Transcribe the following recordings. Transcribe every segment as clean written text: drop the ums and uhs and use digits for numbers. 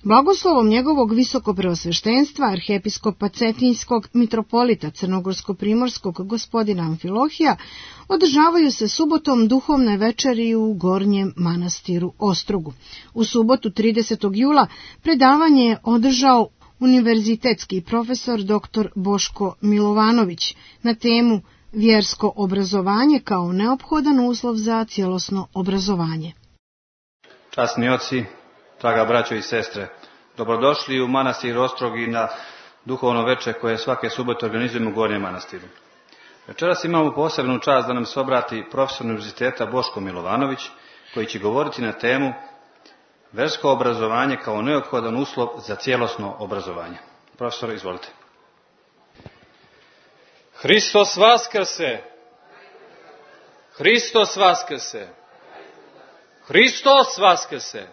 Blagoslovom njegovog visokopreosveštenstva arhiepiskopa Cetinjskog mitropolita Crnogorsko-primorskog gospodina Amfilohija održavaju se subotom duhovne večeri u Gornjem manastiru Ostrogu. U subotu 30. jula predavanje je održao univerzitetski profesor dr. Boško Milovanović na temu Vjersko obrazovanje kao neophodan uslov za cjelosno obrazovanje. Časni oci, draga braćo i sestre, dobrodošli u manastir Ostrog i na duhovno veče koje svake subote organizujemo u Gornjem manastiru. Večeras imamo posebnu čast da nam se obrati profesor univerziteta Boško Milovanović, koji će govoriti na temu Vjersko obrazovanje kao neophodan uslov za cjelosno obrazovanje. Profesor, izvolite. Hristos vaskrse! Hristos vaskrse! Hristos vaskrse!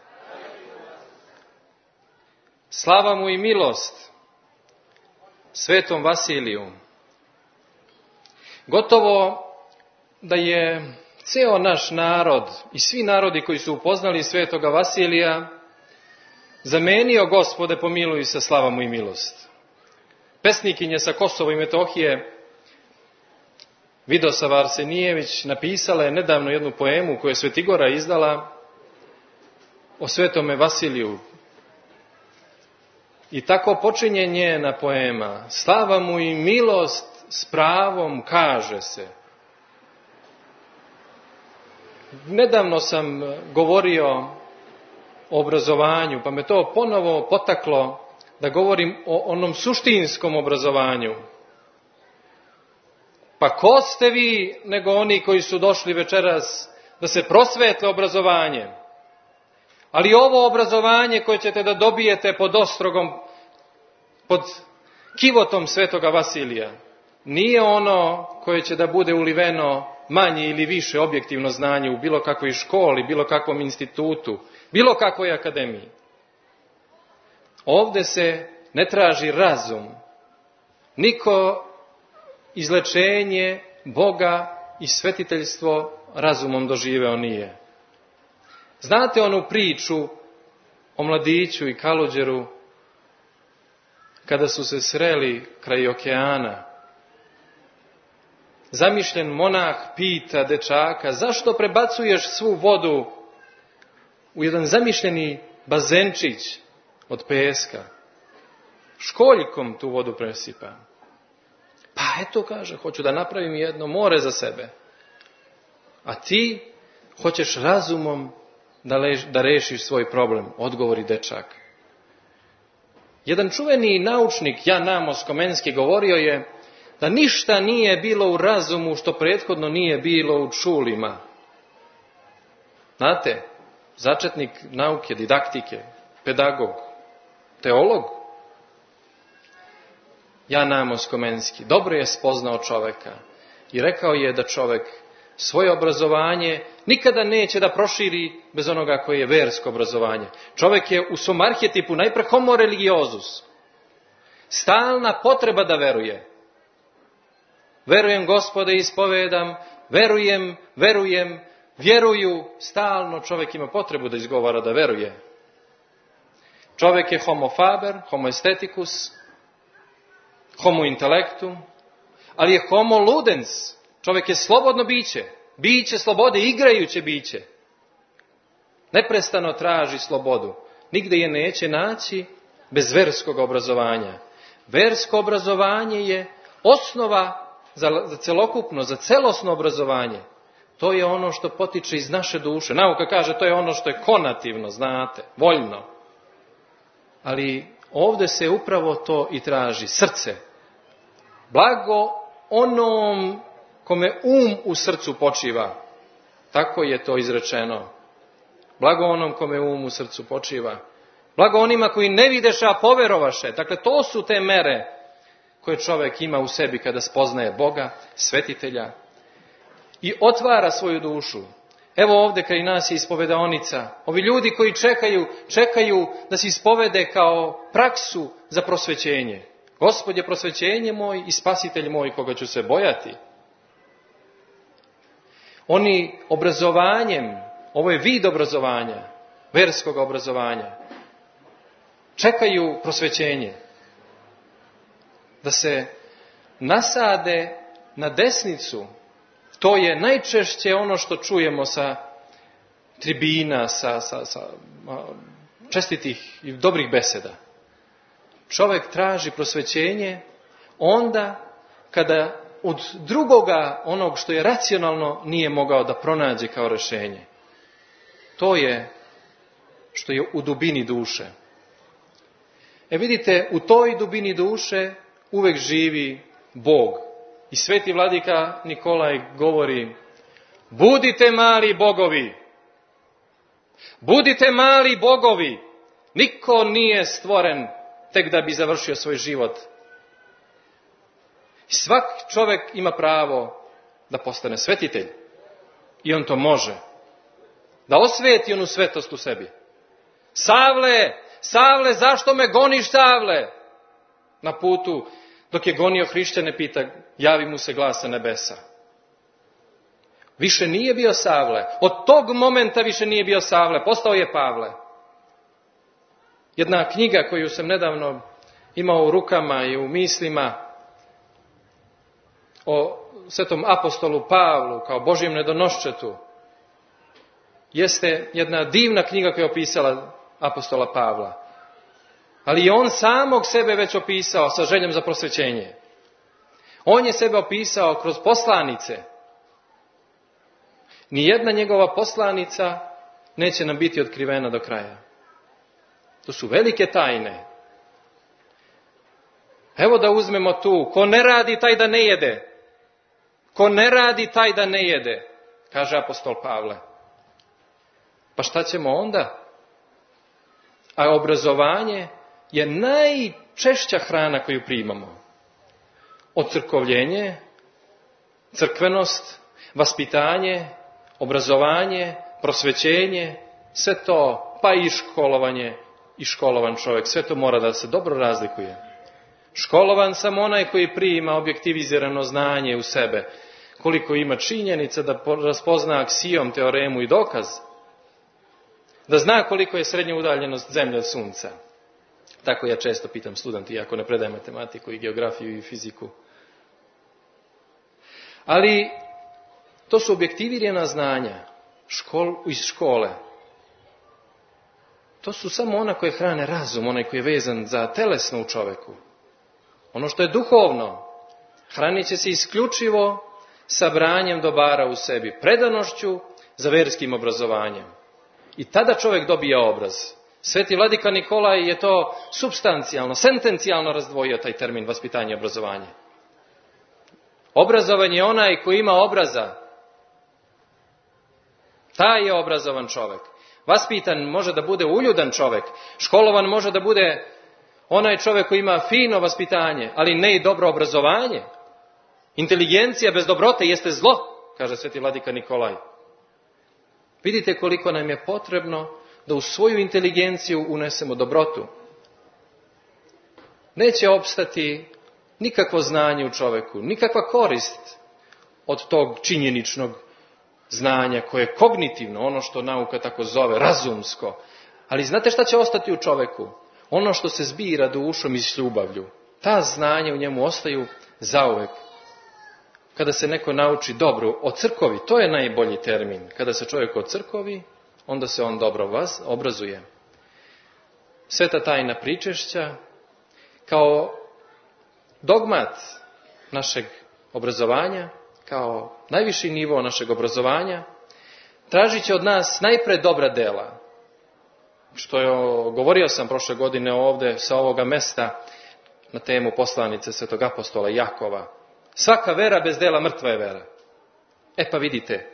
Slava mu i milost svetom Vasiliju. Gotovo da je ceo naš narod i svi narodi koji su upoznali svetoga Vasilija zamenio Gospode pomiluj se, slava mu i milost. Pesnikinje sa Kosova i Metohije Vidosava Arsenijević napisala je nedavno jednu poemu koju je Svetigora izdala o svetome Vasiliju. I tako počinje njena poema. Slava mu i milost s pravom kaže se. Nedavno sam govorio o obrazovanju, pa me to ponovo potaklo da govorim o onom suštinskom obrazovanju. Pa ko ste vi nego oni koji su došli večeras da se prosvetle obrazovanje? Ali ovo obrazovanje koje ćete da dobijete pod Ostrogom, pod kivotom svetoga Vasilija, nije ono koje će da bude uliveno manje ili više objektivno znanje u bilo kakvoj školi, bilo kakvom institutu, bilo kakvoj akademiji. Ovde se ne traži razum. Niko izlečenje Boga i svetiteljstvo razumom doživeo nije. Znate onu priču o mladiću i Kalođeru kada su se sreli kraj okeana? Zamišljen monah pita dečaka, zašto prebacuješ svu vodu u jedan zamišljeni bazenčić od peska? Školjkom tu vodu presipa. Pa eto, kaže, hoću da napravim jedno more za sebe. A ti hoćeš razumom da rešiš svoj problem, odgovori dečak. Jedan čuveni naučnik, Jan Amos Komenski, govorio je da ništa nije bilo u razumu što prethodno nije bilo u čulima. Znate, začetnik nauke, didaktike, pedagog, teolog, Jan Amos Komenski dobro je spoznao čoveka i rekao je da čovek svoje obrazovanje nikada neće da proširi bez onoga koje je versko obrazovanje. Čovek je u svom arhetipu najpre homo religiosus. Stalna potreba da veruje. Verujem, Gospode, ispovedam, vjeruju, stalno čovjek ima potrebu da izgovara da veruje. Čovjek je homo faber, homo aestheticus, homo intellectum, ali je homo ludens. Čovjek je slobodno biće slobode, igrajuće biće. Neprestano traži slobodu. Nigde je neće naći bez verskog obrazovanja. Versko obrazovanje je osnova za celokupno, za celosno obrazovanje. To je ono što potiče iz naše duše. Nauka kaže to je ono što je konativno, znate, voljno. Ali ovdje se upravo to i traži, srce. Blago onom kome u srcu počiva. Tako je to izrečeno. Blago onom kome u srcu počiva. Blago onima koji ne videše, a poverovaše. Dakle, to su te mere koje čovjek ima u sebi kada spoznaje Boga, svetitelja i otvara svoju dušu. Evo ovdje kraj nas je ispovedaonica. Ovi ljudi koji čekaju da se ispovede kao praksu za prosvećenje. Gospod je prosvećenje moj i spasitelj moj koga ću se bojati. Oni obrazovanjem, ovo je vid obrazovanja, verskog obrazovanja. čekaju prosvećenje. Da se nasade na desnicu. To je najčešće ono što čujemo sa tribina, sa čestitih i dobrih beseda. Čovjek traži prosvećenje onda kada od drugoga, onog što je racionalno, nije mogao da pronađe kao rješenje. To je što je u dubini duše. Vidite, u toj dubini duše uvek živi Bog. I sveti vladika Nikolaj govori: budite mali bogovi. Budite mali bogovi. Niko nije stvoren tek da bi završio svoj život. I svak čovjek ima pravo da postane svetitelj. I on to može. Da osveti onu svetost u sebi. Savle, zašto me goniš, Savle? Na putu, dok je gonio hrišćane, pita, javi mu se glas sa nebesa. Više nije bio Savle. Od tog momenta više nije bio Savle. Postao je Pavle. Jedna knjiga koju sam nedavno imao u rukama i u mislima o svetom apostolu Pavlu kao Božjem nedonoščetu jeste jedna divna knjiga koja je opisala apostola Pavla. Ali je on samog sebe već opisao sa željom za prosvećenje. On je sebe opisao kroz poslanice. Nijedna njegova poslanica neće nam biti otkrivena do kraja. To su velike tajne. Evo da uzmemo tu. Ko ne radi, taj da ne jede. Ko ne radi, taj da ne jede, kaže apostol Pavle. Pa šta ćemo onda? A obrazovanje je najčešća hrana koju primamo. Ocrkovljenje, crkvenost, vaspitanje, obrazovanje, prosvećenje, sve to, pa i školovanje, i školovan čovjek, sve to mora da se dobro razlikuje. Školovan samo onaj koji prima objektivizirano znanje u sebe, koliko ima činjenica da raspozna aksijom, teoremu i dokaz, da zna koliko je srednja udaljenost zemlje od sunca. Tako ja često pitam studenti, iako ne predajem matematiku i geografiju i fiziku. Ali to su objektivirana znanja iz škole. To su samo ona koje hrane razum, onaj koji je vezan za telesno u čoveku. Ono što je duhovno, hranit će se isključivo sabranjem dobara u sebi, predanošću za verskim obrazovanjem. I tada čovjek dobija obraz. Sveti vladika Nikolaj je to supstancijalno, sentencijalno razdvojio taj termin vaspitanje i obrazovanje. Obrazovan je onaj koji ima obraza. Taj je obrazovan čovjek. Vaspitan može da bude uljudan čovjek. Školovan može da bude onaj čovjek koji ima fino vaspitanje, ali ne i dobro obrazovanje. Inteligencija bez dobrote jeste zlo, kaže sveti vladika Nikolaj. Vidite koliko nam je potrebno da u svoju inteligenciju unesemo dobrotu. Neće opstati nikakvo znanje u čovjeku, nikakva korist od tog činjeničnog znanja koje je kognitivno, ono što nauka tako zove, razumsko. Ali znate šta će ostati u čovjeku? Ono što se zbira dušom i s ljubavlju. Ta znanja u njemu ostaju zauvek. Kada se neko nauči dobro ocrkovi, to je najbolji termin. Kada se čovjek ocrkovi, onda se on dobro obrazuje. Sveta tajna pričešća kao dogmat našeg obrazovanja, kao najviši nivo našeg obrazovanja, tražit će od nas najpre dobra dela. Što je, govorio sam prošle godine ovdje sa ovoga mesta na temu poslanice svetog apostola Jakova. Svaka vera bez dela mrtva je vera. Pa vidite,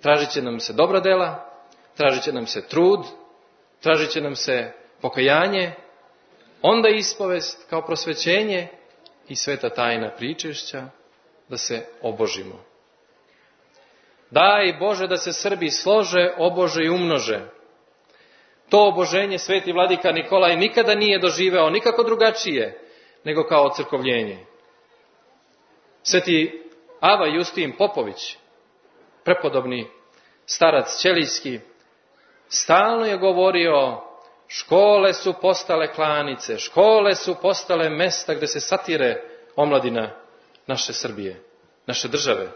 tražit će nam se dobra dela, tražit će nam se trud, tražit će nam se pokajanje, onda ispovest kao prosvećenje i sveta tajna pričešća da se obožimo. Daj Bože da se Srbi slože, obože i umnože. To oboženje sveti vladika Nikolaj nikada nije doživeo nikako drugačije nego kao ocrkovljenje. Sveti Ava Justin Popović, prepodobni starac ćelijski, stalno je govorio Škole su postale klanice, škole su postale mesta gdje se satire omladina naše Srbije, naše države.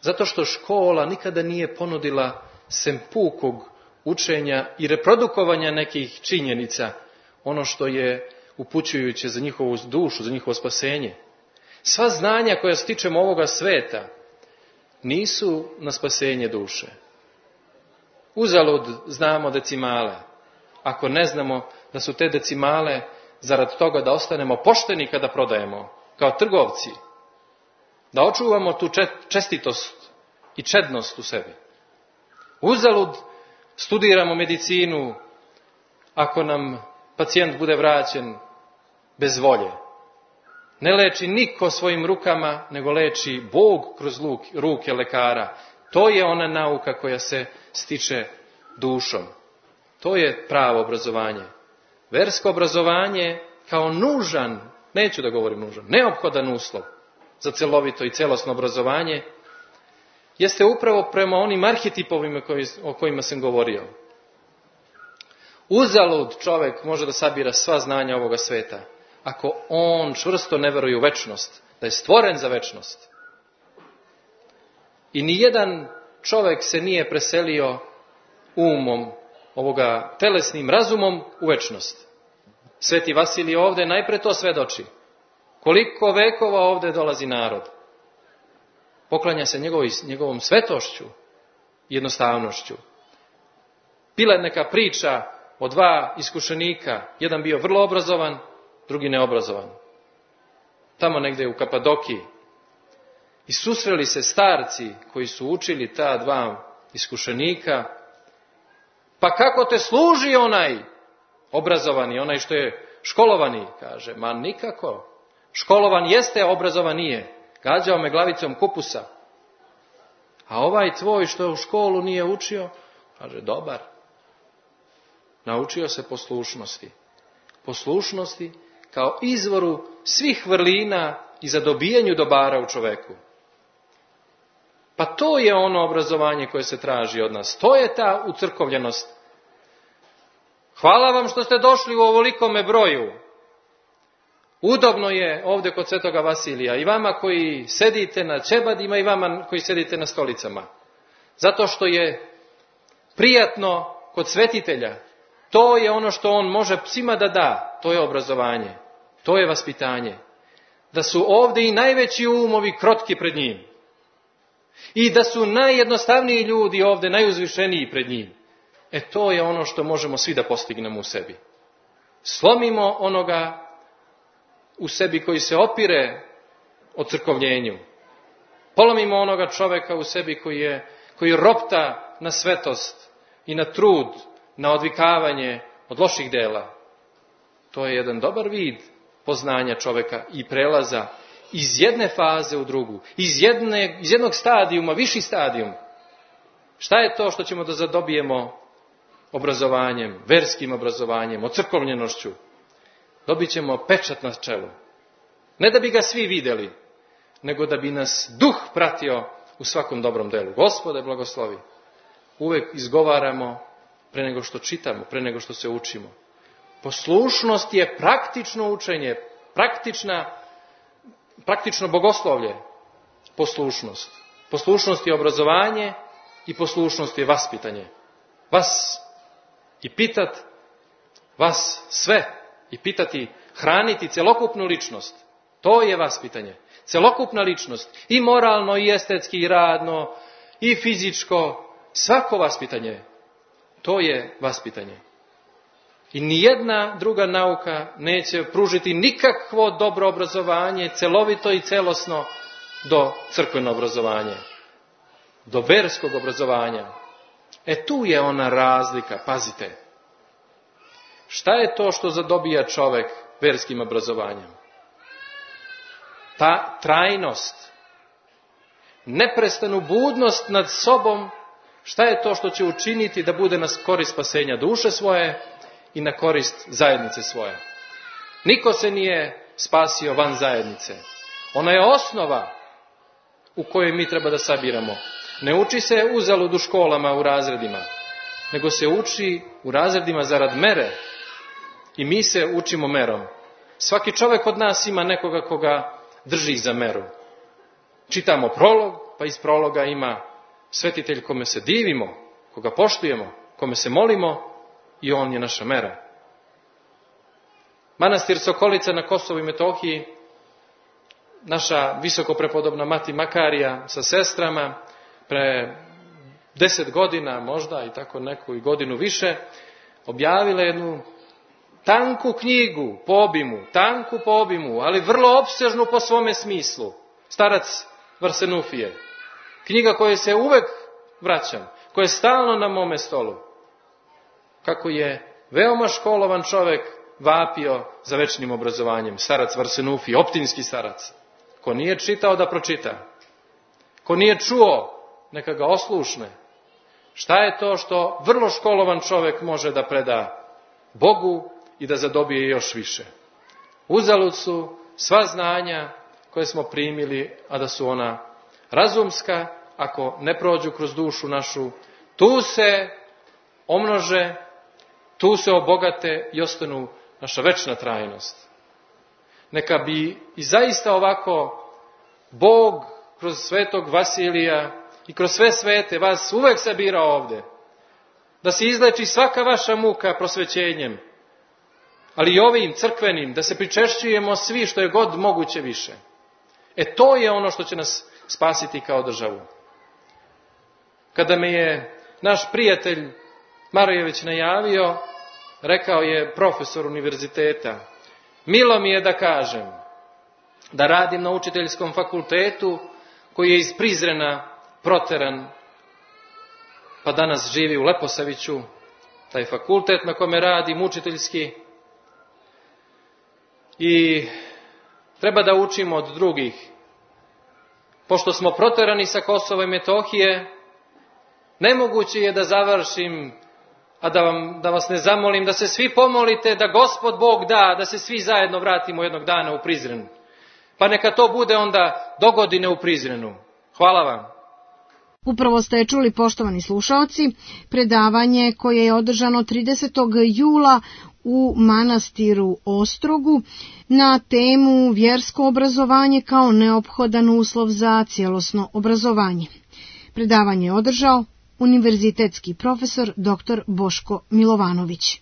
Zato što škola nikada nije ponudila sem pukog učenja i reprodukovanja nekih činjenica, ono što je upućujuće za njihovu dušu, za njihovo spasenje. Sva znanja koja stičemo ovoga sveta nisu na spasenje duše. Uzalud znamo decimale, ako ne znamo da su te decimale zarad toga da ostanemo pošteni kada prodajemo, kao trgovci, da očuvamo tu čestitost i čednost u sebi. Uzalud studiramo medicinu ako nam pacijent bude vraćen bez volje. Ne leči niko svojim rukama, nego leči Bog kroz ruke lekara. To je ona nauka koja se stiče dušom. To je pravo obrazovanje. Versko obrazovanje kao nužan, neću da govorim nužan, neophodan uslov za celovito i celosno obrazovanje, jeste upravo prema onim arhetipovima o kojima sam govorio. Uzalud čovjek može da sabira sva znanja ovoga sveta, ako on čvrsto ne veruje u večnost, da je stvoren za večnost. I nijedan čovjek se nije preselio umom, ovoga telesnim razumom u večnost. Sveti Vasilij ovdje najpre to svedoči. Koliko vekova ovdje dolazi narod. Poklanja se njegovom svetošću i jednostavnošću. Bila je neka priča o dva iskušenika. Jedan bio vrlo obrazovan, drugi neobrazovan. Tamo negdje u Kapadokiji. I susreli se starci koji su učili ta dva iskušenika. Pa kako te služi onaj obrazovani, onaj što je školovani? Kaže, ma nikako. Školovan jeste, a obrazovan nije. Gađao me glavicom kupusa. A ovaj tvoj što u školu nije učio, kaže, dobar. Naučio se poslušnosti. Poslušnosti kao izvoru svih vrlina i za dobijanju dobara u čoveku. Pa to je ono obrazovanje koje se traži od nas. To je ta ucrkovljenost. Hvala vam što ste došli u ovolikome broju. Udobno je ovdje kod Svetoga Vasilija i vama koji sedite na ćebadima i vama koji sedite na stolicama. Zato što je prijatno kod svetitelja. To je ono što on može svima da da. To je obrazovanje. To je vaspitanje. Da su ovdje i najveći umovi krotki pred njim. I da su najjednostavniji ljudi ovdje najuzvišeniji pred njim. To je ono što možemo svi da postignemo u sebi. Slomimo onoga u sebi koji se opire ocrkovljenju. Polomimo onoga čovjeka u sebi koji ropta na svetost i na trud, na odvikavanje od loših dela. To je jedan dobar vid poznanja čovjeka i prelaza iz jedne faze u drugu, iz jednog stadijuma, viši stadijum. Šta je to što ćemo da zadobijemo obrazovanjem, verskim obrazovanjem, ocrkovljenošću? Dobit ćemo pečat na čelu. Ne da bi ga svi vidjeli, nego da bi nas duh pratio u svakom dobrom delu. Gospode, blagoslovi. Uvek izgovaramo pre nego što čitamo, pre nego što se učimo. Poslušnost je praktično učenje, praktično bogoslovlje. Poslušnost. Poslušnost je obrazovanje i poslušnost je vaspitanje. Vas i pitat, vas sve i pitati, hraniti celokupnu ličnost. To je vaspitanje. Celokupna ličnost. I moralno, i estetski, i radno, i fizičko. Svako vaspitanje. To je vaspitanje. I nijedna druga nauka neće pružiti nikakvo dobro obrazovanje, celovito i celosno, do crkveno obrazovanje. Do verskog obrazovanja. Tu je ona razlika, pazite. Šta je to što zadobija čovjek verskim obrazovanjem? Ta trajnost, neprestanu budnost nad sobom, šta je to što će učiniti da bude na korist spasenja duše svoje i na korist zajednice svoje? Niko se nije spasio van zajednice. Ona je osnova u kojoj mi treba da sabiramo. Ne uči se uzalud u školama, u razredima, nego se uči u razredima zarad mere. I mi se učimo merom. Svaki čovjek od nas ima nekoga koga drži za meru. Čitamo prolog, pa iz prologa ima svetitelj kome se divimo, koga poštujemo, kome se molimo i on je naša mera. Manastir Sokolica na Kosovu i Metohiji, naša visoko prepodobna mati Makarija sa sestrama, pre 10 godina možda i tako neku i godinu više, objavila jednu tanku knjigu po obimu, ali vrlo opsežnu po svome smislu. Starac Varsenufije. Knjiga kojoj se uvek vraćam, koja je stalno na mome stolu. Kako je veoma školovan čovek vapio za večnim obrazovanjem. Starac Varsenufije, optinski starac. Ko nije čitao da pročita. Ko nije čuo, neka ga oslušne. Šta je to što vrlo školovan čovek može da preda Bogu i da zadobije još više? Uzalud su sva znanja koje smo primili, a da su ona razumska, ako ne prođu kroz dušu našu, tu se omnože, tu se obogate i ostanu naša večna trajnost. Neka bi i zaista ovako Bog kroz svetog Vasilija i kroz sve svete vas uvek sabira ovde, da se izleči svaka vaša muka prosvećenjem, ali i ovim crkvenim, da se pričešćujemo svi što je god moguće više. To je ono što će nas spasiti kao državu. Kada me je naš prijatelj Marojević najavio, rekao je profesor univerziteta, milo mi je da kažem da radim na učiteljskom fakultetu koji je iz Prizrena proteran, pa danas živi u Leposaviću, taj fakultet na kome radim učiteljski, i treba da učimo od drugih. Pošto smo proterani sa Kosova i Metohije, nemoguće je da završim, a da vas ne zamolim da se svi pomolite, da Gospod Bog da se svi zajedno vratimo jednog dana u Prizren. Pa neka to bude onda dogodine u Prizrenu. Hvala vam. Upravo ste čuli, poštovani slušaoci, predavanje koje je održano 30. jula u manastiru Ostrogu na temu vjersko obrazovanje kao neophodan uslov za cjelosno obrazovanje. Predavanje je održao univerzitetski profesor dr. Boško Milovanović.